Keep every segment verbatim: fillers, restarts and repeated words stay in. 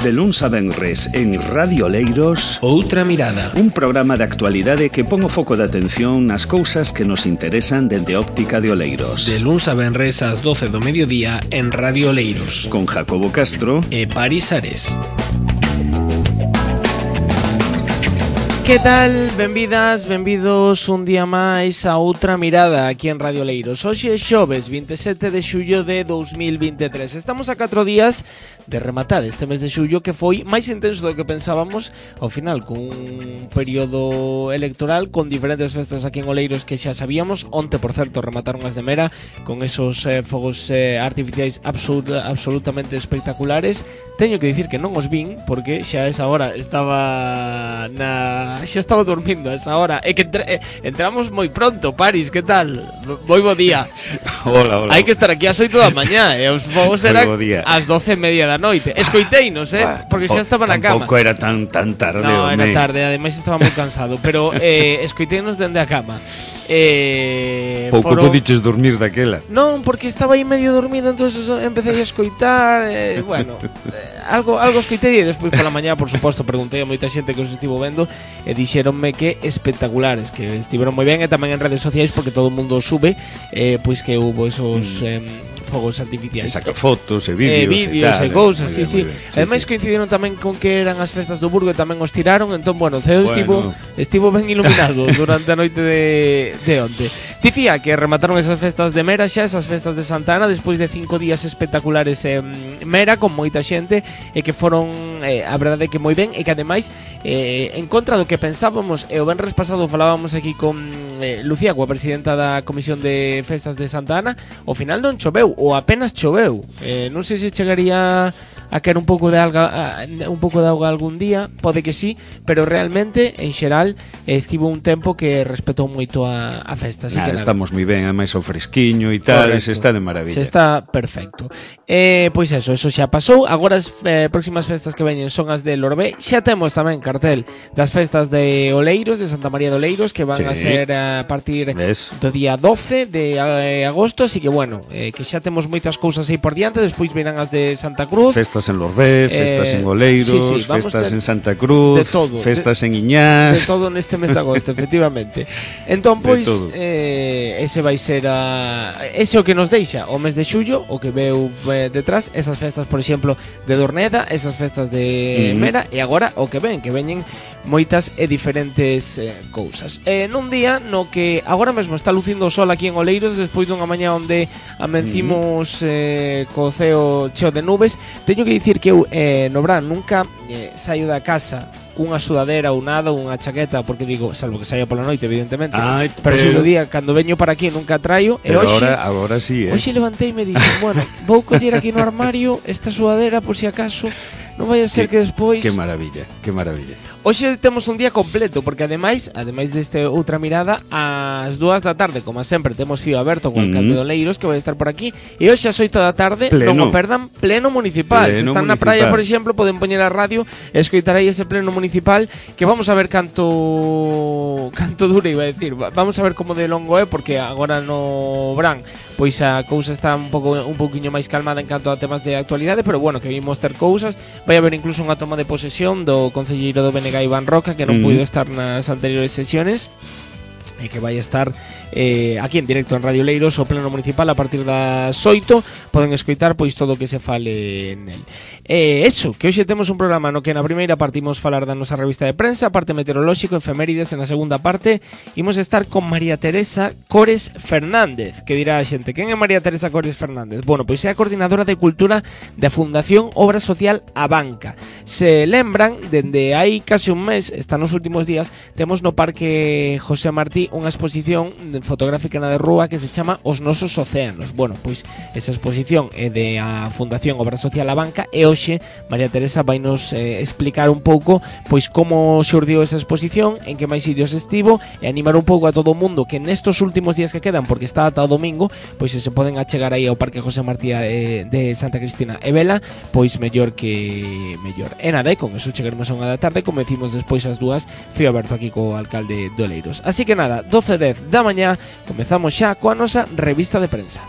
De luns a venres en Radio Oleiros, Outra Mirada, un programa de actualidade que pon o foco de atención nas cousas que nos interesan dende a óptica de Oleiros. De luns a venres ás doce do mediodía en Radio Oleiros, con Jacobo Castro e Paris Ares. Que tal? Benvidas, benvidos un día máis a Outra Mirada aquí en Radio Oleiros. Hoxe é xoves, vinte e sete de xullo de dous mil vinte e tres. Estamos a catro días de rematar este mes de xullo, que foi máis intenso do que pensábamos. Ao final, con un período electoral, con diferentes festas aquí en Oleiros que xa sabíamos. Onte, por certo, remataron as de Mera con esos eh, fogos eh, artificiais absolut, absolutamente espectaculares. Teño que dicir que non os vin, porque xa a esa hora estaba na... xa estaba dormindo a esa hora. E que entra... eh, entramos moi pronto, Paris, que tal? Moi bo día. Hola, hola. Hai que estar aquí ás oito da mañá, e os fogos eran ás doce e media da noite. Escoiteinos, eh, porque xa estaba na cama. Tampouco era tan tan tarde. No, era home. tarde, ademais estaba moi cansado. Pero eh, escoiteinos dende a cama. Eh, Pouco foro... podiches dormir daquela. Non, porque estaba aí medio dormido, entonces empecé a escoitar, eh, bueno, eh, algo algo escoitei e despois pola mañá, por suposto, preguntei a moita xente que os estivo vendo e dixéronme que espectaculares, que estiveron moi ben, e tamén en redes sociais, porque todo o mundo sube, eh, pois que hubo esos... Mm. Eh, fogos artificiais. E saca fotos e vídeos, e vídeos e, e cousas, sí, sí, sí. sí. Ademais sí, coincidieron sí. tamén con que eran as festas do Burgo e tamén os tiraron, entón, bueno, o ceo bueno. estivo, estivo ben iluminado durante a noite de, de onte. Dicía que remataron esas festas de Mera xa, esas festas de Santa Ana, despois de cinco días espectaculares en Mera, con moita xente, e que foron, eh, a verdade que moi ben, e que ademais, eh, en contra do que pensábamos, e o venres pasado falábamos aquí con eh, Lucía, coa presidenta da Comisión de Festas de Santa Ana, ao final non choveu, ou apenas choveu. Eh, non sei se chegaría a caer un pouco de alga, a, un pouco de auga algún día, pode que sí, pero realmente en xeral estivo un tempo que respetou moito a, a festa, así nada, que nada. Estamos moi ben, ademais o fresquiño e tal, Correcto. Se está de maravilla. Se está perfecto. Eh, pois eso, eso xa pasou. Agora as eh, próximas festas que veñen son as de Lorbé. Xa temos tamén cartel das festas de Oleiros, de Santa María de Oleiros, que van sí. a ser a partir ¿Ves? do día doce de eh, agosto, así que bueno, eh, que xa temos moitas cousas aí por diante. Despois virán as de Santa Cruz, festas en Lorbé, festas eh, en Oleiros, sí, sí, festas en Santa Cruz, de todo, festas de, en Iñás, de todo neste mes de agosto, efectivamente. Entón, pois, eh, ese vai ser a ese o que nos deixa o mes de xullo, o que veu eh, detrás, esas festas, por exemplo, de Dorneda, esas festas de mm. Mera, e agora o que ven, que veñen moitas e diferentes eh, cousas. Eh, nun día no que agora mesmo está lucindo o sol aquí en Oleiros, despois dunha mañá onde amencimos eh, co ceo cheo de nubes. Teño que dicir que eu eh, no verán nunca eh, saio da casa cunha sudadera ou nada, unha chaqueta, porque digo, salvo que saia pola noite, evidentemente. Ay, pero si do día, cando veño para aquí nunca traio. Pero e hoxe, ahora, agora sí, eh. Hoxe levantei e me dixen, bueno, vou coller aquí no armario esta sudadera por si acaso non vai a ser que, que despois... Que maravilla, que maravilla. Hoxe temos un día completo, porque ademais, ademais deste Outra Mirada, ás dúas da tarde, como sempre, temos fío aberto con o alcalde de Oleiros, que vai estar por aquí, e hoxe ás oito da tarde, pleno. non o perdan, pleno municipal. Pleno Se están municipal. na praia, por exemplo, poden poñer a radio e escoitar aí ese pleno municipal, que vamos a ver canto canto dura, iba a decir, vamos a ver como de longo é, porque agora no verán pois a cousa está un pouco un pouquiño máis calmada en canto a temas de actualidade, pero bueno, que vimos ter cousas. Vai haber incluso unha toma de posesión do concelleiro do B N G Iván Roca, que non mm. puido estar nas anteriores sesiones, e que vai estar eh, aquí en directo en Radio Oleiros, o pleno municipal, a partir das oito. Poden escoitar pois todo o que se fale nel. E eh, eso, que hoxe temos un programa no que na primeira parte imos falar da nosa revista de prensa, parte meteorolóxico, efemérides. En a segunda parte imos estar con María Teresa Cores Fernández, que dirá a xente, quen é María Teresa Cores Fernández? Bueno, pois é a coordinadora de cultura da Fundación Obra Social A Banca. Se lembran, dende hai case un mes, está nos últimos días, temos no Parque José Martí unha exposición fotográfica na de rúa que se chama Os Nosos Océanos. Bueno, pois esa exposición é de a Fundación Obra Social A Banca, e hoxe María Teresa vai nos eh, explicar un pouco pois como xurdiu esa exposición, en que máis sitios estivo, e animar un pouco a todo o mundo que nestos últimos días que quedan, porque está ata o domingo, pois se se poden achegar aí ao Parque José Martí eh, de Santa Cristina e Vela, pois mellor que mellor. E nada, e con eso chegaremos a unha da tarde, como decimos despois as dúas, fío aberto aquí co alcalde de Oleiros. Así que nada, doce e dez da mañá, comezamos xa coa nosa revista de prensa.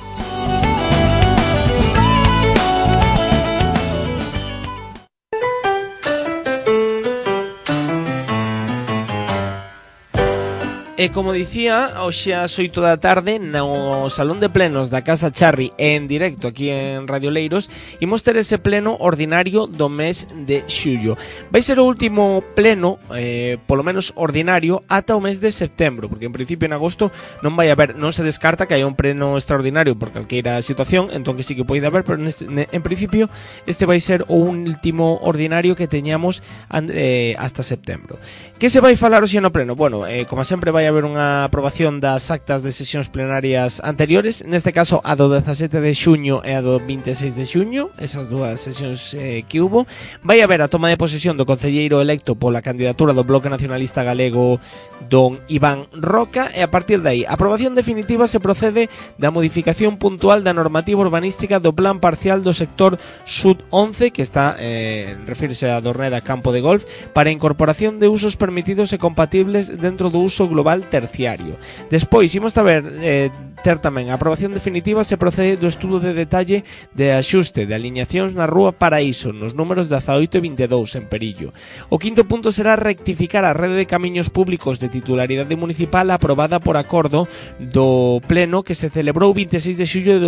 E como dicía, hoxe ás oito da tarde no Salón de Plenos da Casa Charri en directo aquí en Radio Leiros imos ter ese pleno ordinario do mes de xullo. Vai ser o último pleno, eh, polo menos ordinario, ata o mes de setembro, porque en principio en agosto non vai haber, non se descarta que haya un pleno extraordinario por calqueira situación, entón que sí que pode haber, pero neste, en principio este vai ser o último ordinario que teñamos eh, hasta setembro. Que se vai falar hoxe no pleno? Bueno, eh, como sempre vai haber unha aprobación das actas de sesións plenarias anteriores, neste caso a do dezasete de xuño e a do vinte e seis de xuño, esas dúas sesións eh, que hubo. Vai haber a toma de posesión do concelleiro electo pola candidatura do Bloque Nacionalista Galego, don Iván Roca, e a partir de aí, a aprobación definitiva se procede da modificación puntual da normativa urbanística do plan parcial do sector Sud once, que está, eh, refírese a Dorneda Campo de Golf, para a incorporación de usos permitidos e compatibles dentro do uso global terciario. Despois, imos a ver eh, ter tamén a aprobación definitiva se procede do estudo de detalle de axuste de aliñacións na Rúa Paraíso nos números dezaoito e vinte e dous en Perillo. O quinto punto será rectificar a rede de camiños públicos de titularidade municipal aprobada por acordo do pleno que se celebrou o vinte e seis de xullo de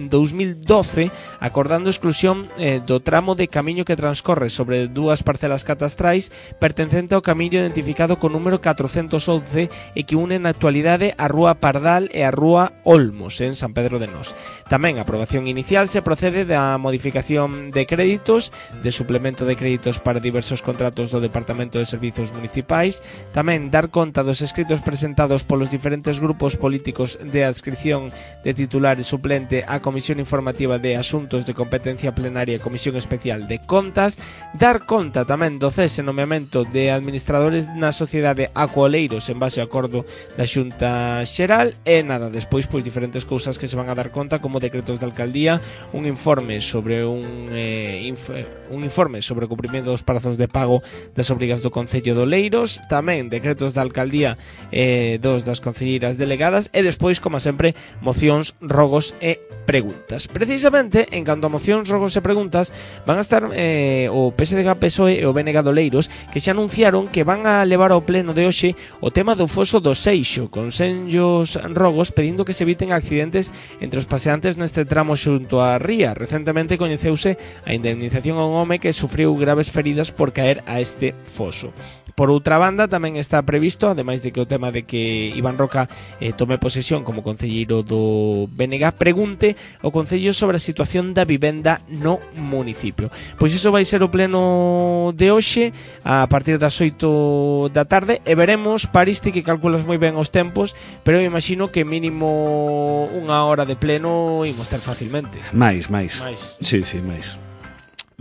dos mil doce, acordando a exclusión eh, do tramo de camiño que transcorre sobre dúas parcelas catastrais pertencente ao camiño identificado con número catrocentos once e que une na actualidade a Rúa Pardal e a Rúa Olmos en San Pedro de Nós. Tamén a aprobación inicial se procede da modificación de créditos, de suplemento de créditos para diversos contratos do Departamento de Servizos Municipais, tamén dar conta dos escritos presentados polos diferentes grupos políticos de adscripción de titular e suplente á Comisión Informativa de Asuntos de Competencia Plenaria e Comisión Especial de Contas, dar conta tamén do cese e nomeamento de administradores na sociedade Acuoleiros en base ao acordo da Xunta Xeral e nada, despois pois diferentes cousas que se van a dar conta como decretos de alcaldía, un informe sobre un eh, inf un informe sobre o cumprimento dos prazos de pago das obrigas do Concello de Oleiros, tamén decretos da alcaldía eh, dos das concelleiras delegadas e despois, como sempre, mocións, rogos e preguntas. Precisamente, en canto a mocións, rogos e preguntas, van a estar eh, o P S D G, P S O E e o B N G de Oleiros, que xa anunciaron que van a levar ao pleno de hoxe o tema do foso do Seixo, con senllos rogos pedindo que se eviten accidentes entre os paseantes neste tramo xunto á ría. Recentemente coñeceuse a indemnización a un home que sufriu graves feridas por caer a este foso. Por outra banda, tamén está previsto, ademais de que o tema de que Iván Roca eh, tome posesión como concelleiro do B N G, pregunte ao Concello sobre a situación da vivenda no municipio. Pois iso vai ser o pleno de hoxe a partir das oito da tarde e veremos, Paristi, que calculas moi ben os tempos, pero eu imagino que mínimo unha hora de pleno imos ter facilmente. Mais, máis. máis. Sí, sí, máis.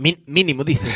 Min, mínimo, dices?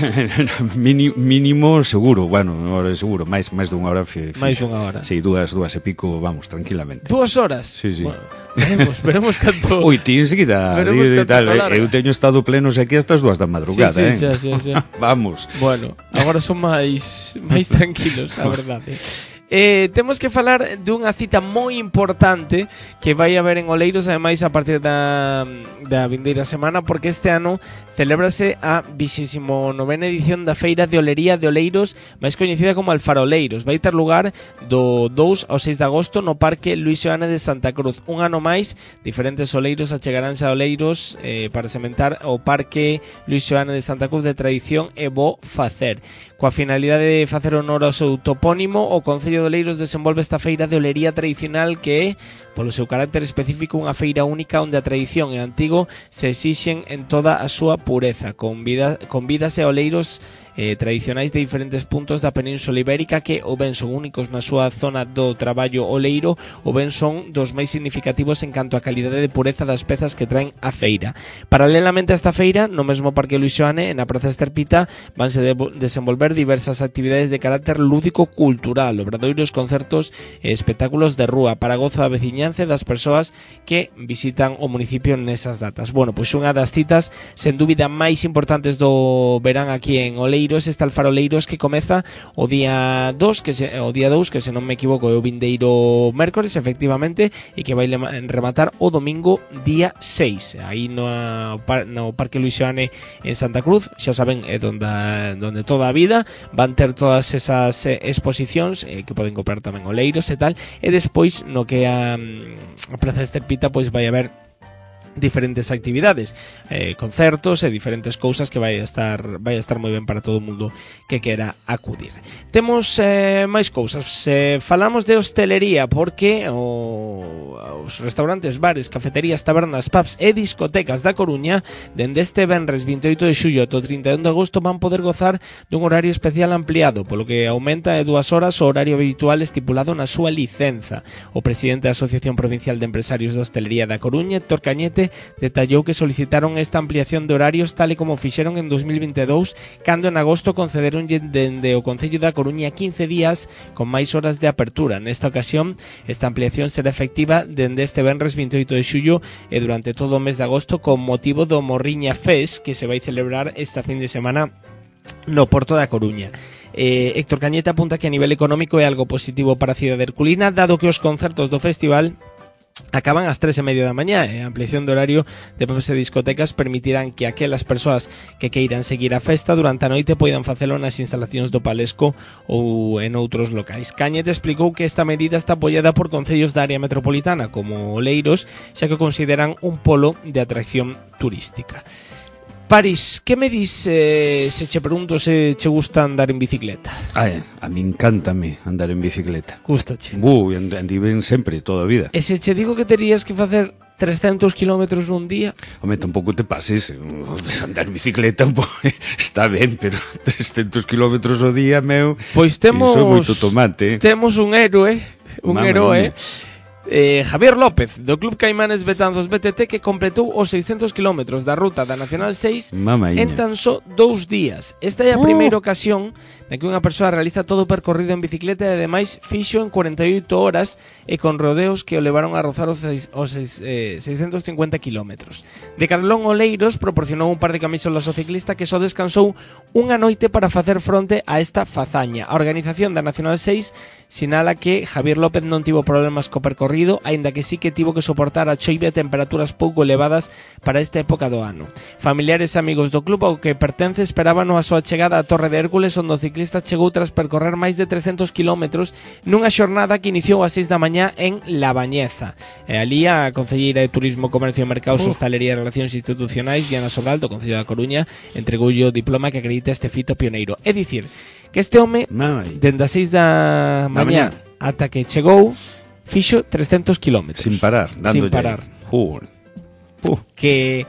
Mini, mínimo seguro, bueno, hora seguro, máis máis dunha hora fi, máis dunha hora. Sí, dúas, dúas e pico, vamos, tranquilamente. Dúas horas? Sí, sí. Bueno, veremos, veremos canto. Ui, ti enseguida, veremos di, canto tal, eu teño estado plenos aquí hasta as dúas da madrugada, sí, eh. sí, sí, sí, sí. Vamos. Bueno, agora son máis máis tranquilos, a verdade. Eh, temos que falar dunha cita moi importante que vai haber en Oleiros, ademais a partir da, da vindeira semana, porque este ano celébrase a vixésima novena edición da Feira de Olería de Oleiros, máis coñecida como Alfaroleiros. Vai ter lugar do dous ao seis de agosto no Parque Luís Seoane de Santa Cruz. Un ano máis, diferentes oleiros achegaránse a Oleiros eh, para sementar o Parque Luís Seoane de Santa Cruz de tradición e bo facer. Coa finalidade de facer honor ao seu topónimo, o Concello de Oleiros desenvolve esta feira de olería tradicional que é, polo seu carácter específico, unha feira única onde a tradición e o antigo se exixen en toda a súa pureza. Convida, convídase a oleiros eh, tradicionais de diferentes puntos da Península Ibérica que ou ben son únicos na súa zona do traballo oleiro ou ben son dos máis significativos en canto a calidade de pureza das pezas que traen a feira. Paralelamente a esta feira, no mesmo Parque Luís Seoane, en a Praza Esterpita, vanse de desenvolver diversas actividades de carácter lúdico-cultural, obradoiros, concertos e espectáculos de rúa para gozo da veciñanza e das persoas que visitan o municipio nesas datas. Bueno, pois unha das citas sen dúbida máis importantes do verán aquí en Oleiros Oleiros, este Alfaroleiros que comeza o día dos, que se, o día dous, que se non me equivoco é o vindeiro mércores, efectivamente, e que vai rematar o domingo día seis, aí no, no Parque Luis Xoane en Santa Cruz. Xa saben, é donde, donde toda a vida van ter todas esas eh, exposicións eh, que poden comprar tamén Oleiros e tal, e despois no que a, a Praza de Esterpita pois vai haber diferentes actividades, eh, concertos e diferentes cousas que vai a estar vai a estar moi ben para todo o mundo que quera acudir. Temos eh, máis cousas, eh, falamos de hostelería porque o, os restaurantes, bares, cafeterías, tabernas, pubs e discotecas da Coruña dende este venres vinte e oito de xullo ata o trinta e un de agosto van poder gozar dun horario especial ampliado, polo que aumenta de dúas horas o horario habitual estipulado na súa licenza. O presidente da Asociación Provincial de Empresarios de Hostelería da Coruña, Héctor Cañete, detallou que solicitaron esta ampliación de horarios tal e como fixeron en dos mil vinte e dous, cando en agosto concederon dende o Concello da Coruña quince días con máis horas de apertura. Nesta ocasión, esta ampliación será efectiva dende este venres vinte e oito de xullo e durante todo o mes de agosto con motivo do Morriña Fest que se vai celebrar esta fin de semana no Porto da Coruña. Eh, Héctor Cañete apunta que a nivel económico é algo positivo para a cidade herculina, dado que os concertos do festival acaban ás tres e media da mañá e a ampliación de horario de pubs e discotecas permitirán que aquelas persoas que queiran seguir a festa durante a noite poidan facelo nas instalacións do Palesco ou en outros locais. Cañete explicou que esta medida está apoiada por concellos da área metropolitana como Oleiros, xa que consideran un polo de atracción turística. París, que me dis eh, se che pregunto se che gusta andar en bicicleta? Ai, a mí encántame andar en bicicleta. Gustache? Bu, andi ben sempre, toda a vida. E se che digo que terías que facer trescentos kilómetros nun día? Home, tampouco te pases, andar en bicicleta está ben, pero trescentos kilómetros ao día, meu, pois temos, iso é moito tomate. Temos un héroe, un Mame héroe, mía. Eh, Javier López, do Club Caimanes Betanzos B T T, que completou os seiscentos kilómetros da ruta da Nacional seis Mamaíña. en tan só dous días. Esta é a primeira uh. ocasión na que unha persoa realiza todo o percorrido en bicicleta e ademais fixo en cuarenta e oito horas e con rodeos que o levaron a rozar os, seis, os seis, eh, seiscentos cincuenta kilómetros. Decathlon Oleiros proporcionou un par de camisolas ao ciclista que só descansou unha noite para facer fronte a esta fazaña. A organización da Nacional seis sinala que Javier López non tivo problemas co percorrido, aínda que sí que tivo que soportar a choiva e temperaturas pouco elevadas para esta época do ano. Familiares e amigos do club ao que pertence esperaban a súa chegada á Torre de Hércules, onde o ciclista chegou tras percorrer máis de trescentos kilómetros nunha xornada que iniciou ás seis da mañá en La Bañeza. E ali a concelleira de Turismo, Comercio e Mercados, uh. Hostalería e Relacións Institucionais, Diana Sobral, do Concello da Coruña, entregoulle o diploma que acredita este fito pioneiro. É dicir, que este home, dende as seis da mañá ata que chegou, fixo trescentos kilómetros. Sin parar, dándolle. Sin parar. Uh. Uh. Que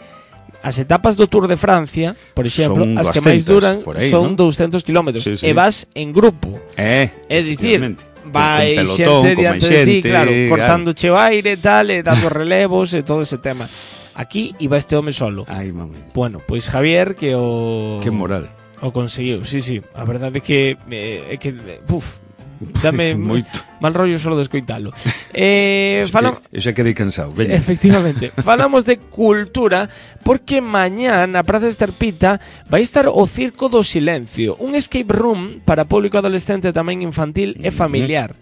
as etapas do Tour de Francia, por exemplo, son as que máis duran aí, son ¿no? douscentos kilómetros. Sí, sí. E vas en grupo. Eh, é dicir, vai pelotón, xente diante de ti, claro, cortando claro. che o aire e tal, e dando relevos e todo ese tema. Aquí iba este home solo. Ai, mami. Bueno, pois Javier que o Que moral. O conseguiu, sí, sí. A verdade é que é eh, que uf, dame moito mal rollo solo de escoitalo. Eh, falam... Eu xa quedei cansado. Sí, efectivamente. Falamos de cultura porque mañá na Praza de Esterpita vai estar o Circo do Silencio, un escape room para público adolescente, tamén infantil e familiar.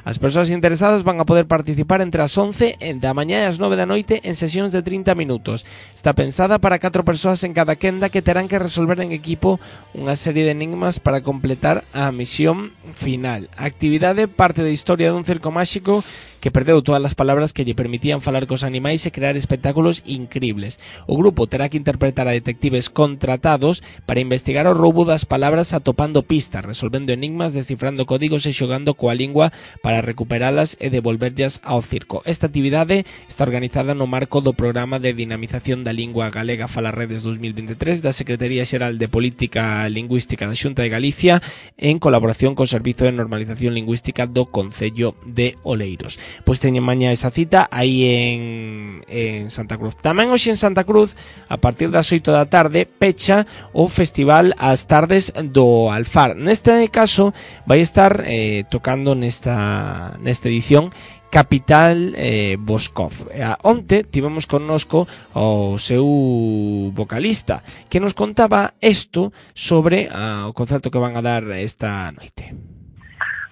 As persoas interesadas van a poder participar entre as once da mañá e as nove da noite en sesións de trinta minutos. Está pensada para catro persoas en cada quenda que terán que resolver en equipo unha serie de enigmas para completar a misión final. A actividade parte da historia dun circo máxico que perdeu todas as palabras que lle permitían falar cos animais e crear espectáculos incribles. O grupo terá que interpretar a detectives contratados para investigar o roubo das palabras atopando pistas, resolvendo enigmas, descifrando códigos e xogando coa lingua para recuperalas e devolverllas ao circo. Esta actividade está organizada no marco do Programa de Dinamización da Lingua Galega Falarredes dos mil vinte e tres da Secretaría Xeral de Política Lingüística da Xunta de Galicia en colaboración co Servizo de Normalización Lingüística do Concello de Oleiros. Pois teñen mañá esa cita aí en, en Santa Cruz. Tamén hoxe en Santa Cruz, a partir das oito da tarde, pecha o Festival As Tardes do Alfar. Neste caso, vai estar eh, tocando nesta nesta, nesta edición Capital eh, Boscov. Eh, onte tivemos connosco o seu vocalista que nos contaba isto sobre ah, o concerto que van a dar esta noite.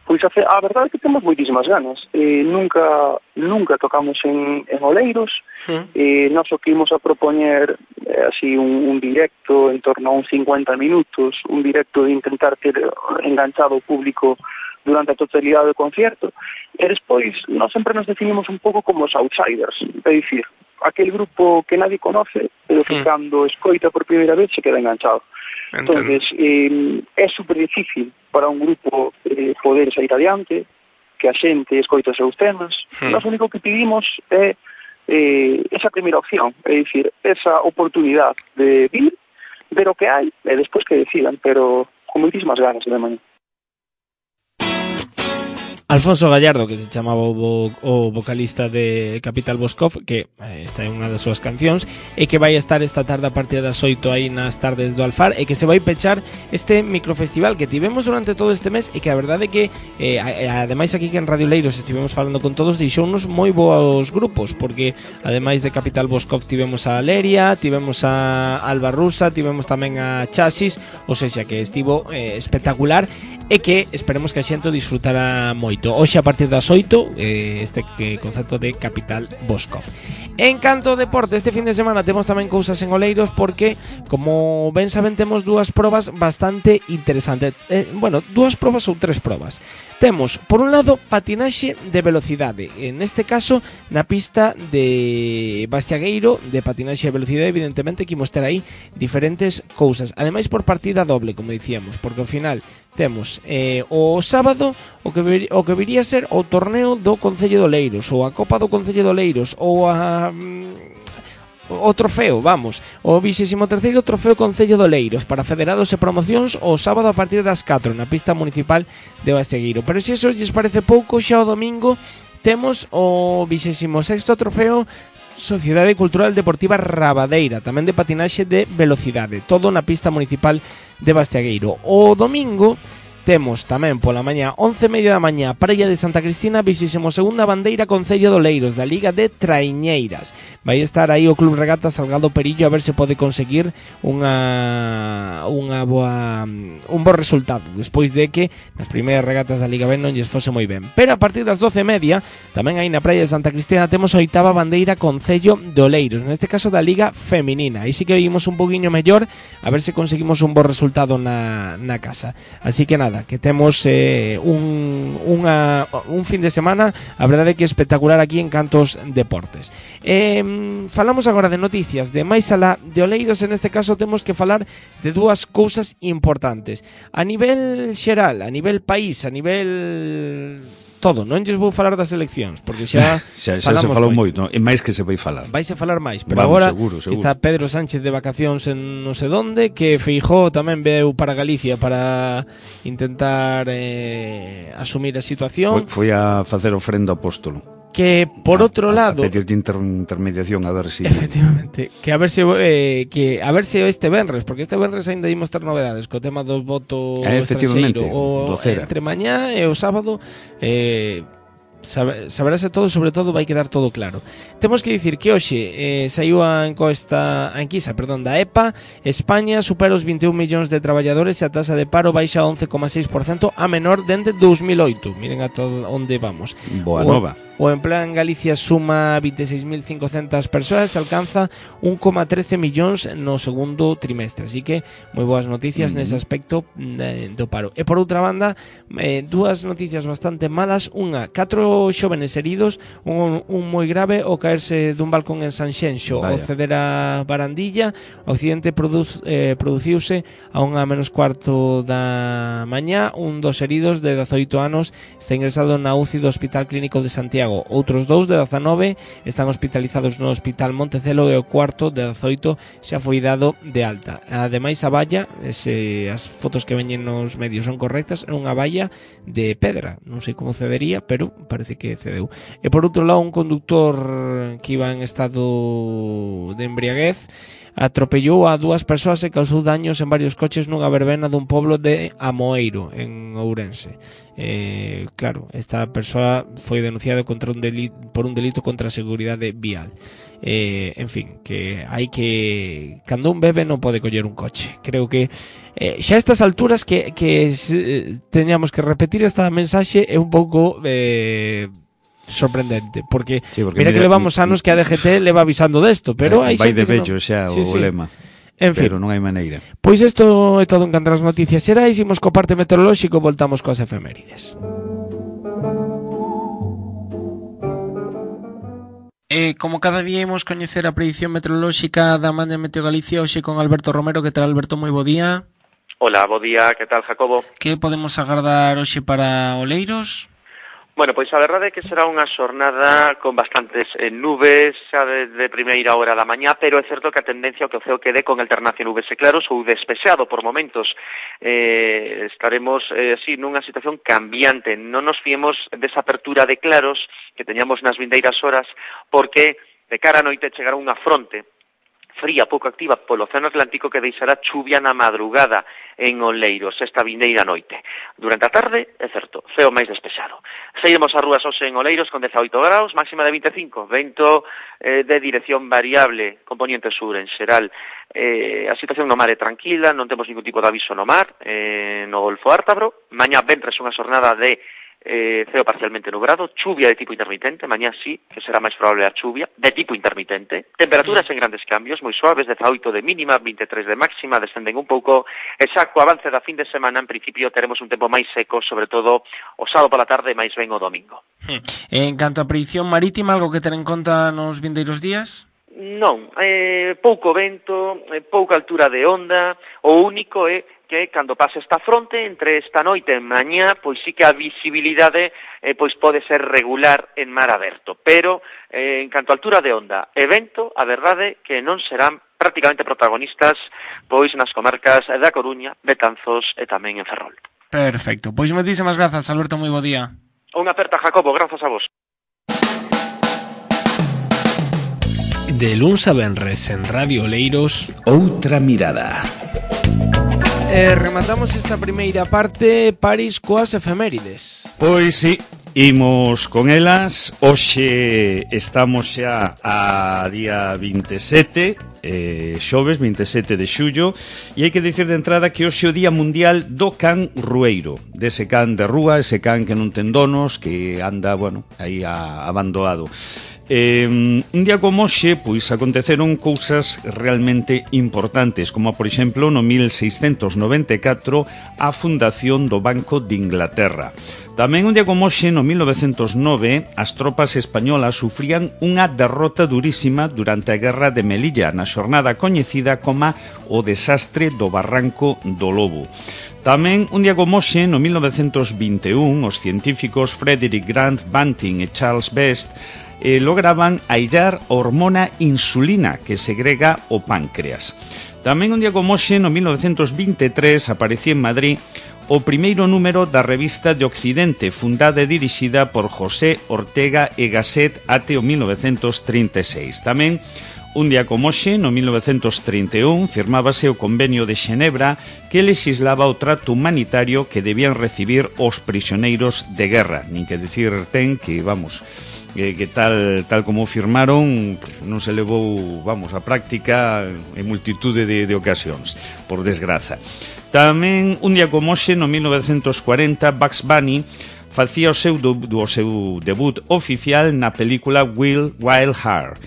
Pois a, a verdade é que temos moitísimas ganas. Eh, nunca nunca tocamos en, en Oleiros. Mm. Eh, nós o que imos a propoñer eh, así un, un directo en torno a uns cincuenta minutos, un directo de intentar ter enganchado o público durante a totalidade do concierto, e despois nós sempre nos definimos un pouco como os outsiders, é dicir, aquel grupo que nadie conoce, pero que mm. cando escoita por primeira vez se queda enganchado. Entonces, eh, é super difícil para un grupo eh, poder sair adiante, que a xente escoita os seus temas. Mm. Nós o único que pedimos é eh, esa primeira opción, é dicir, esa oportunidade de vir, ver o que hai, e despois que decidan, pero con moitísimas ganas de mañá. Alfonso Gallardo, que se chamaba o, vo, o vocalista de Capital Boscov, que eh, está en unha das súas cancións, e que vai estar esta tarde a partir das oito aí nas tardes do Alfar, e que se vai pechar este microfestival que tivemos durante todo este mes, e que a verdade é que eh, ademais aquí que en Radio Leiros estivemos falando con todos, deixounos moi boos grupos, porque ademais de Capital Boscov tivemos a Aleria, tivemos a Alba Rusa, tivemos tamén a Chasis, ou seja, que estivo eh, espectacular, e que esperemos que a xente disfrutara moito. Hoxe a partir das oito eh, este eh, concerto de Capital Boscov. En canto ao deporte, este fin de semana temos tamén cousas en Oleiros, porque como ben saben temos dúas probas bastante interesantes. eh, Bueno, dúas probas ou tres probas. Temos, por un lado, patinaxe de velocidade, en este caso na pista de Bastiagueiro, de patinaxe de velocidade. Evidentemente que imos ter aí diferentes cousas, ademais por partida doble, como dicíamos, porque ao final temos eh, o sábado o que, vir, o que viría a ser o torneo do Concello de Oleiros, ou a Copa do Concello de Oleiros, ou a... o trofeo, vamos, o vixésimo terceiro trofeo Concello de Oleiros para federados e promocións o sábado a partir das catro na pista municipal de Bastegueiro. Pero se eso lles parece pouco, xa o domingo temos o vixésimo sexto trofeo Sociedade Cultural Deportiva Rabadeira, tamén de patinaxe de velocidade, todo na pista municipal de Bastegueiro. O domingo temos tamén pola mañá, once e media da mañá, Praia de Santa Cristina, vixésimo segunda bandeira Concello de Oleiros, da Liga de Traiñeiras. Vai estar aí o Club Regata Salgado Perillo a ver se pode conseguir unha unha boa un bo resultado, despois de que nas primeiras regatas da Liga Ben non lles fose moi ben. Pero a partir das doce e media, tamén aí na Praia de Santa Cristina temos a oitava bandeira Concello de Oleiros, neste caso da Liga Feminina. Aí sí que vimos un poquinho mellor, a ver se conseguimos un bo resultado na, na casa. Así que nada, que temos eh, un, unha, un fin de semana, a verdade é que espectacular aquí en Cantos Deportes. Eh, falamos agora de noticias de máis alá de Oleiros. En este caso temos que falar de dúas cousas importantes a nivel xeral, a nivel país, a nivel... todo, non lles vou falar das eleccións, porque xa xa, xa se falou moito, e máis que se vai falar. Vaise falar máis, pero Vamos, agora seguro, seguro. Está Pedro Sánchez de vacacións en non sei donde, que Feijóo tamén veu para Galicia para intentar eh, asumir a situación. Foi, foi a facer ofrenda ao apóstolo. Que por a, outro a, lado, a pedir de inter, intermediación a ver si efectivamente, que a ver se eh, que a ver se este venres, porque este venres aínda imos ter novedades co tema dos votos eh, efectivamente, o entre mañá e o sábado eh saberase todo, sobre todo vai quedar todo claro. Temos que dicir que hoxe eh, saiu a encosta a enquisa, perdón, da E P A. España supera os vinte e un millóns de traballadores e a tasa de paro baixa a once coma seis por cento, a menor dende dous mil oito. Miren a todo onde vamos. Boa nova. O empleo en Galicia suma vinte e seis mil cincocentas persoas e alcanza un coma trece millóns no segundo trimestre. Así que moi boas noticias mm-hmm. nese aspecto eh, do paro. E por outra banda, eh, dúas noticias bastante malas. Unha, catro xóvenes heridos, un, un moi grave ao caerse dun balcón en Sanxenxo ao ceder a Barandilla. O accidente produz, eh, produciuse a unha menos cuarto da mañá. Un dos heridos de dezaoito anos está ingresado na U C I do Hospital Clínico de Santiago. Outros dous de dezanove están hospitalizados no Hospital Montecelo e o cuarto de dezaoito xa foi dado de alta. Ademais, a valla, se as fotos que veñen nos medios son correctas, é unha valla de pedra. Non sei como cedería, pero parece que cedeu. E por outro lado, un conductor que iba en estado de embriaguez atropellou a dúas persoas e causou daños en varios coches nunha verbena dun poblo de Amoeiro, en Ourense. Eh, claro, esta persoa foi denunciada contra un delito, por un delito contra a seguridade vial. Eh, en fin, que hai que... Cando un bebe non pode coller un coche. Creo que eh, xa a estas alturas que, que eh, teñamos que repetir esta mensaxe é un pouco... Eh, sorprendente, porque, sí, porque mira, mira que levamos anos que a D G T leva avisando desto, pero hai vai de bello no... xa sí, o sí. lema. En fin, pero non hai maneira. Pois isto é todo en canto as noticias xerais, imos co parte meteorolóxico, voltamos coas efemérides. E como cada día imos coñecer a predición meteorolóxica da man de Meteo Galicia, hoxe con Alberto Romero. Que tal, Alberto? Moi bo día. Hola, bo día, que tal, Jacobo? Que podemos agardar hoxe para Oleiros? Bueno, pois a verdade é que será unha xornada con bastantes eh, nubes xa desde primeira hora da mañá, pero é certo que a tendencia ao que o ceo quede con alternancia nubes e claros ou despexado por momentos. Eh, estaremos eh, así nunha situación cambiante. Non nos fiemos desa apertura de claros que teñamos nas vindeiras horas, porque de cara a noite chegará unha fronte fría, pouco activa polo Océano Atlántico que deixará chuvia na madrugada en Oleiros esta vindeira noite. Durante a tarde, é certo, ceo máis despexado. Seguimos as rúas hoxe en Oleiros con dezaoito graus, máxima de vinte e cinco, vento eh, de dirección variable, componente sur en xeral. Eh, a situación no mar é tranquila, non temos ningún tipo de aviso no mar, eh, no Golfo Ártabro. Mañá ventres unha xornada de Eh, ceo parcialmente nublado, chuvia de tipo intermitente, mañá sí, que será máis probable a chuvia, de tipo intermitente, temperaturas en grandes cambios, moi suaves, dezaoito de mínima, vinte e tres de máxima, descenden un pouco, e xa co avance da fin de semana, en principio, teremos un tempo máis seco, sobre todo o sábado pola tarde, máis ben o domingo. En canto a predicción marítima, algo que ter en conta nos vindeiros días? Non, eh, pouco vento, eh, pouca altura de onda, o único é que cando pase esta fronte, entre esta noite e mañá, pois sí que a visibilidade eh, pois pode ser regular en mar aberto, pero eh, en canto a altura de onda e vento, a verdade que non serán prácticamente protagonistas pois nas comarcas da Coruña, Betanzos e tamén en Ferrol. Perfecto, pois moitísimas grazas, Alberto, moi bo día. Unha aperta, Jacobo, grazas a vos. De luns a venres en Radio Oleiros, Outra mirada. E rematamos esta primeira parte, París, coas efemérides. Pois sí, imos con elas. Hoxe estamos xa a día vinte e sete, eh, xoves vinte e sete de xullo, e hai que dicir de entrada que hoxe é o Día Mundial do Can Rueiro, dese can de rúa, ese can que non ten donos, que anda, bueno, aí a, abandoado. Eh, un día como hoxe, pois aconteceron cousas realmente importantes, como por exemplo no mil seiscentos noventa e catro a fundación do Banco de Inglaterra. Tamén un día como hoxe, no mil novecentos nove, as tropas españolas sufrían unha derrota durísima durante a Guerra de Melilla, na xornada coñecida como o desastre do Barranco do Lobo. Tamén un día como hoxe, no mil novecentos vinte e un, os científicos Frederick Grant Banting e Charles Best Eh, lograban aillar a hormona insulina que segrega o páncreas. Tamén un día como hoxe, no mil novecentos vinte e tres, aparecía en Madrid o primeiro número da revista de Occidente, fundada e dirixida por José Ortega y Gasset até o mil novecentos trinta e seis. Tamén un día como hoxe, no mil novecentos trinta e un, firmábase o Convenio de Xenebra que lexislaba o trato humanitario que debían recibir os prisioneiros de guerra. Nin que dicir ten que, vamos, que, que tal tal como firmaron non se levou, vamos, a práctica en multitude de, de ocasións, por desgraza. Tamén un día como hoxe, no mil novecentos cuarenta, Bugs Bunny facía o seu, do, o seu debut oficial na película Wild Wild Heart.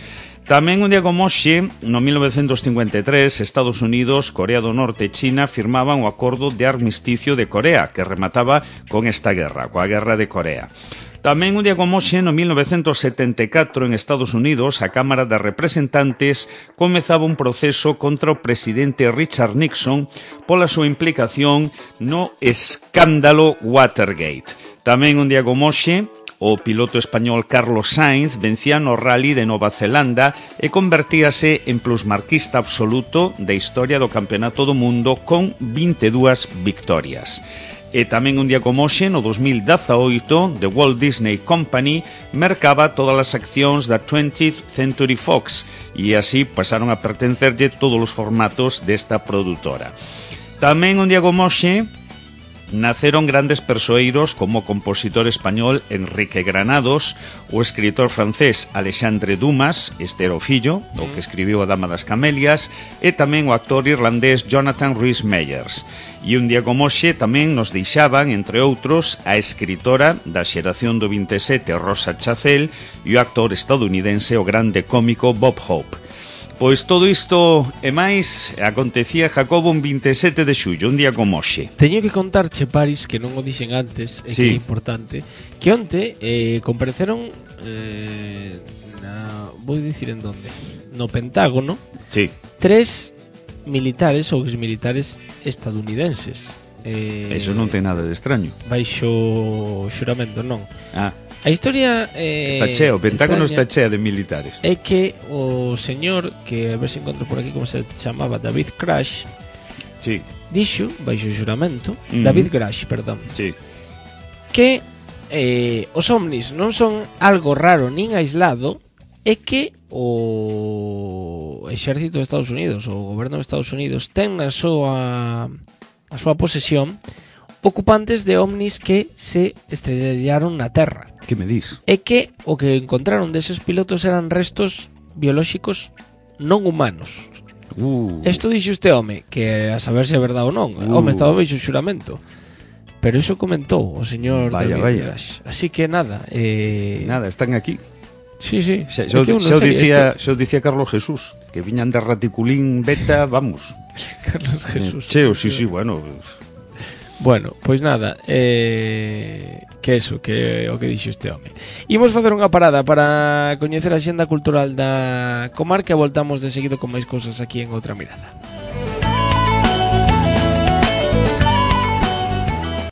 Tamén un día como hoxe, no mil novecentos cincuenta e tres, Estados Unidos, Corea do Norte e China firmaban o acordo de armisticio de Corea, que remataba con esta guerra, coa Guerra de Corea. Tamén un día como hoxe, no mil novecentos setenta e catro, en Estados Unidos, a Cámara de Representantes comezaba un proceso contra o presidente Richard Nixon pola súa implicación no escándalo Watergate. Tamén un día como hoxe, o piloto español Carlos Sainz vencía no Rally de Nova Zelanda e convertíase en plusmarquista absoluto da historia do Campeonato do Mundo con vinte e dúas victorias. E tamén un día como hoxe, no dos mil dezaoito, The Walt Disney Company mercaba todas as accións da twentieth Century Fox e así pasaron a pertencerlle todos os formatos desta produtora. Tamén un día como hoxe naceron grandes persoeiros como o compositor español Enrique Granados, o escritor francés Alexandre Dumas, este era o fillo, o que escribiu A Dama das Camelias, e tamén o actor irlandés Jonathan Rhys-Meyers. E un día como hoxe tamén nos deixaban, entre outros, a escritora da xeración do vinte e sete Rosa Chacel e o actor estadounidense o grande cómico Bob Hope. Pois todo isto e máis acontecía, Jacobo, un vinte e sete de xullo, un día como hoxe. Teño que contarche, Paris, que non o dixen antes, e sí, que é importante, que onte eh, compareceron eh, na, vou dicir en donde, no Pentágono, sí, tres militares ou exmilitares estadounidenses. Eh, Eso non ten nada de extraño. Baixo xuramento, non. Ah, a historia eh, está chea, o Pentágono extraña, está chea de militares. é que o señor, que a ver se encontro por aquí como se chamaba, David Crash, sí, dixo, baixo xuramento, uh-huh. David Crash, perdón, sí, que eh, os ovnis non son algo raro nin aislado, é que o exército de Estados Unidos, o goberno de Estados Unidos, ten na súa a súa posesión ocupantes de ovnis que se estrellaron na Terra. Que me dis? E que o que encontraron deses pilotos eran restos biolóxicos non humanos. Uh. Isto dixo este home, que a saber se é verdade ou non. O Uh. home estaba baixo xuramento. Pero iso comentou o señor Vaya, David vaya. Crash. Así que nada, eh... Nada, están aquí. Sí, sí. Xa, É xa, que eu non xa, o sei dicía, isto. xa o dicía Carlos Jesús, que viñan de Raticulín Beta, vamos. Carlos Jesús. Cheo, sí, sí, bueno. Bueno, pois nada, eh, que eso, que o que dixo este home. Imos facer unha parada para coñecer a xenda cultural da comarca e voltamos de seguido con máis cousas aquí en Outra Mirada.